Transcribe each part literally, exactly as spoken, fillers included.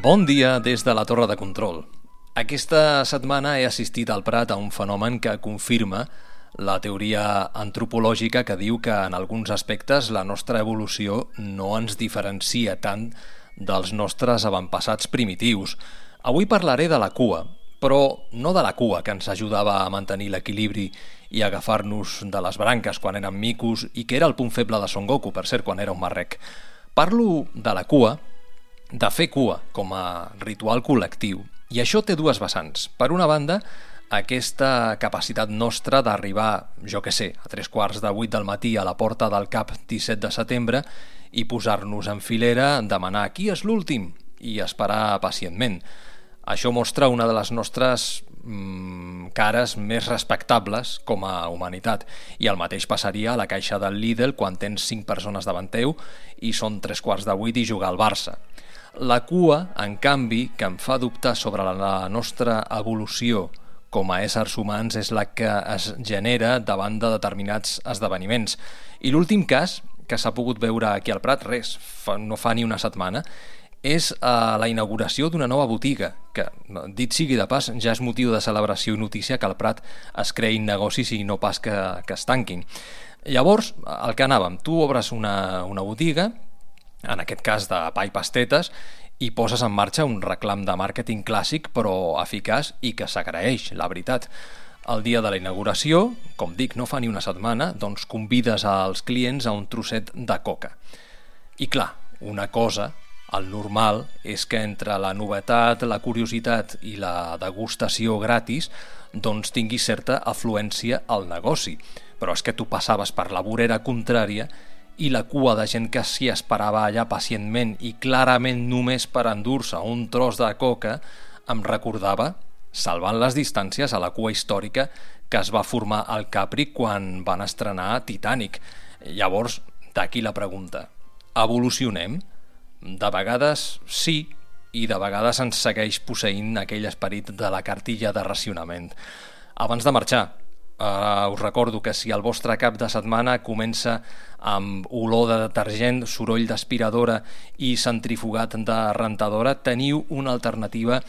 Bon dia des de la Torre de Control. Aquesta setmana he assistit al Prat a un fenomen que confirma la teoria antropològica que diu que en alguns aspectes la nostra evolució no ens diferencia tant dels nostres avantpassats primitius. Avui parlaré de la cua, però no de la cua que ens ajudava a mantenir l'equilibri i agafar-nos de les branques quan érem micos i que era el punt feble de Son Goku, per cert, quan era un marrec. Parlo de la cua, de fer cua com a ritual col·lectiu. I això té dues vessants. Per una banda, aquesta capacitat nostra d'arribar, jo que sé, a tres quarts de vuit del matí a la porta del CAP disset de setembre i posar-nos en filera, demanar qui és l'últim i esperar pacientment. Això mostra una de les nostres mm, cares més respectables com a humanitat. I el mateix passaria a la caixa del Lidl quan tens cinc persones davant teu i són tres quarts de vuit i jugar al Barça. La cua, en canvi, que em fa dubtar sobre la nostra evolució com a éssers humans és la que es genera davant de determinats esdeveniments. I l'últim cas, que s'ha pogut veure aquí al Prat, res, fa, no fa ni una setmana, és eh, la inauguració d'una nova botiga, que, dit sigui de pas, ja és motiu de celebració i notícia que al Prat es creïn negocis i no pas que, que es tanquin. Llavors, el que anàvem, tu obres una, una botiga, en aquest cas de pa i pastetes, i poses en marxa un reclam de màrqueting clàssic però eficaç i que s'agraeix, la veritat. El dia de la inauguració, com dic, no fa ni una setmana, doncs convides als clients a un trosset de coca. I clar, una cosa, el normal, és que entre la novetat, la curiositat i la degustació gratis doncs tinguis certa afluència al negoci. Però és que tu passaves per la vorera contrària i la cua de gent que s'hi esperava allà pacientment i clarament només per endur-se un tros de coca em recordava, salvant les distàncies, a la cua històrica que es va formar al Capri quan van estrenar Titanic. Llavors, d'aquí la pregunta. Evolucionem? De vegades sí, i de vegades ens segueix posseint aquell esperit de la cartilla de racionament. Abans de marxar, Uh, us recordo que si el vostre cap de setmana comença amb olor de detergent, soroll d'aspiradora i centrifugat de rentadora, teniu una alternativa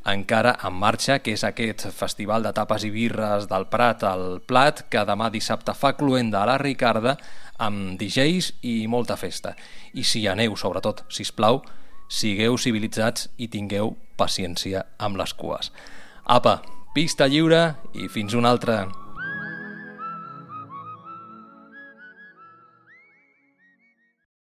encara en marxa, que és aquest festival de tapes i birres del Prat al Plat, que demà dissabte fa cluenda a la Ricarda amb D Js i molta festa. I si hi aneu, sobretot, sisplau, sigueu civilitzats i tingueu paciència amb les cues. Apa, pista lliure i fins una altra.